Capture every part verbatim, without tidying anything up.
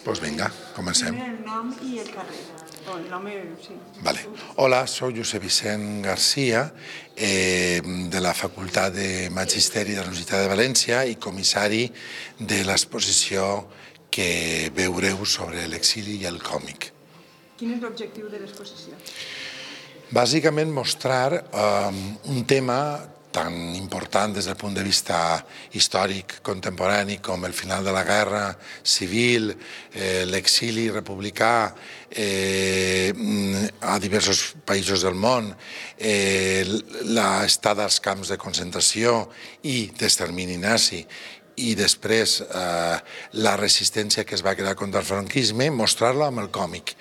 Doncs vinga, comencem. Primer el nom i el carrer. O el nom, sí. Vale. Hola, soc Josep Vicent Garcia, eh, de la Facultat de Magisteri de la Universitat de València i comissari de l'exposició que veureu sobre l'exili i el còmic. Quin és l'objectiu de l'exposició? Bàsicament mostrar eh, un tema tan important des del punt de vista històric contemporani com el final de la guerra civil, eh, l'exili republicà eh, a diversos països del món, eh, l'estada als camps de concentració i d'extermini nazi, i després eh, la resistència que es va crear contra el franquisme, mostrar-la amb el còmic,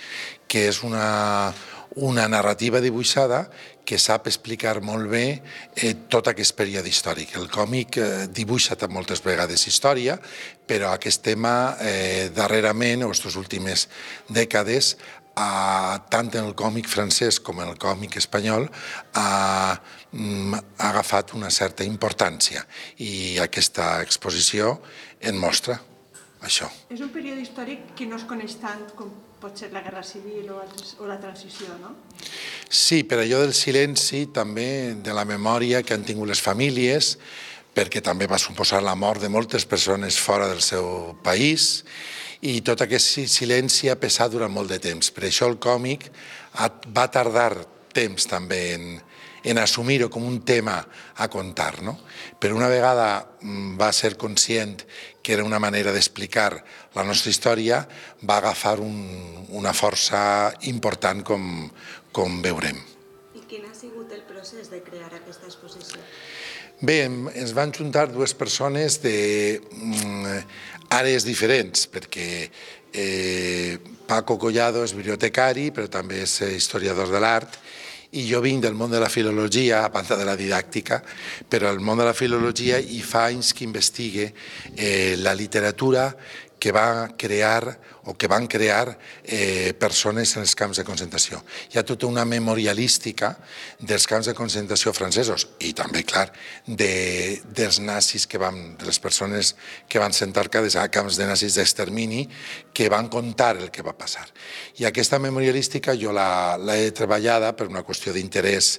que és una, una narrativa dibuixada que sap explicar molt bé eh, tot aquest període històric. El còmic eh, dibuixa moltes vegades història, però aquest tema eh, darrerament, o aquestes últimes dècades, a, tant en el còmic francès com en el còmic espanyol, ha, ha agafat una certa importància i aquesta exposició en mostra això. És un període històric que no es coneix tant com pot ser la Guerra Civil o, altres, o la transició, no? Sí, per allò del silenci, també de la memòria que han tingut les famílies, perquè també va suposar la mort de moltes persones fora del seu país, i tot aquest silenci ha pesat durant molt de temps. Per això el còmic va tardar temps també en, en assumir-ho com un tema a contar, no? Però una vegada va ser conscient que era una manera d'explicar la nostra història, va agafar un, una força important com, com veurem. I quin ha sigut el procés de crear aquesta exposició? Bé, ens van juntar dues persones d'àrees diferents, perquè eh, Paco Collado és bibliotecari, però també és historiador de l'art, i jo vinc del món de la filologia, a banda de la didàctica, però el món de la filologia i fa anys que investigue eh, la literatura que va crear o que van crear eh, persones en els camps de concentració. Hi ha tota una memorialística dels camps de concentració francesos i també, clar, de, dels nazis, que van, de les persones que van ser enterrades a camps de nazis d'extermini, que van contar el que va passar. I aquesta memorialística jo l'he treballada per una qüestió d'interès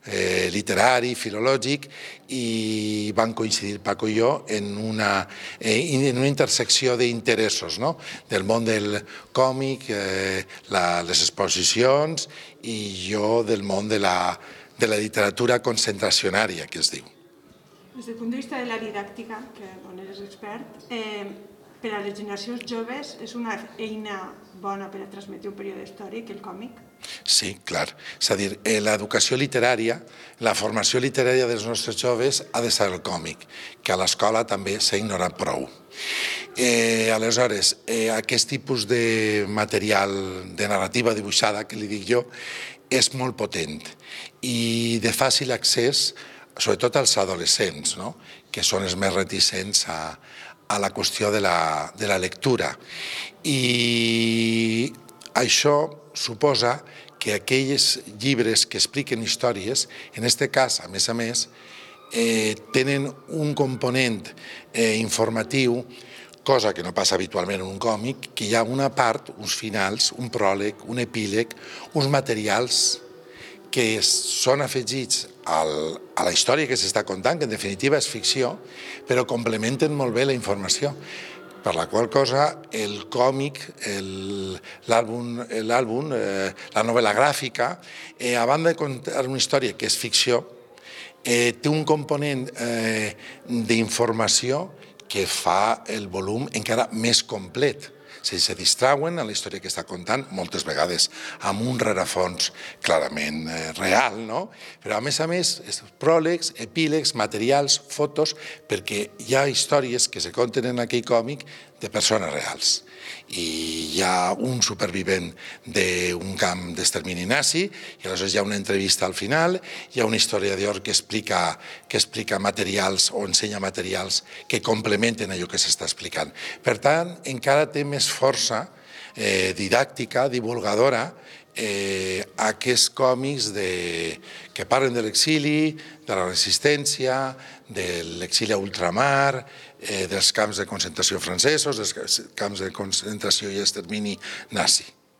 eh, literari, filològic, i van coincidir Paco i jo en una, eh, en una intersecció d'interessos, no? Del món del còmic, eh, la, les exposicions, i jo del món de la, de la literatura concentracionària, que es diu. Des del punt de vista de la didàctica, que on eres expert, eh, per a les generacions joves és una eina bona per a transmetre un període històric, el còmic? Sí, clar. És a dir, l'educació literària, la formació literària dels nostres joves ha de ser el còmic, que a l'escola també s'ha ignorat prou. Eh, aleshores, eh, aquest tipus de material de narrativa dibuixada, que li dic jo, és molt potent i de fàcil accés, sobretot als adolescents, no? Que són els més reticents a, a la qüestió de la, de la lectura. I això suposa que aquells llibres que expliquen històries, en aquest cas, a més a més, eh, tenen un component eh, informatiu, cosa que no passa habitualment en un còmic, que hi ha una part, uns finals, un pròleg, un epíleg, uns materials que són afegits al, a la història que s'està contant, que en definitiva és ficció, però complementen molt bé la informació. Per la qual cosa el còmic, l'àlbum, eh, la novel·la gràfica, eh, a banda de contar una història que és ficció, eh, té un component eh, d'informació que fa el volum encara més complet. Si se distrauen en la història que està contant, moltes vegades amb un rerefons clarament eh, real, no? Però a més a més, pròlegs, epílegs, materials, fotos, perquè hi ha històries que se conten en aquell còmic de persones reals. I hi ha un supervivent d'un camp d'extermini nazi, i aleshores hi ha una entrevista al final, hi ha un historiador que explica, que explica materials o ensenya materials que complementen allò que s'està explicant. Per tant, encara té més força eh, didàctica, divulgadora, eh, aquests còmics de, que parlen de l'exili, de la resistència, de l'exili a ultramar, dels camps de concentració francesos, dels camps de concentració i extermini nazi.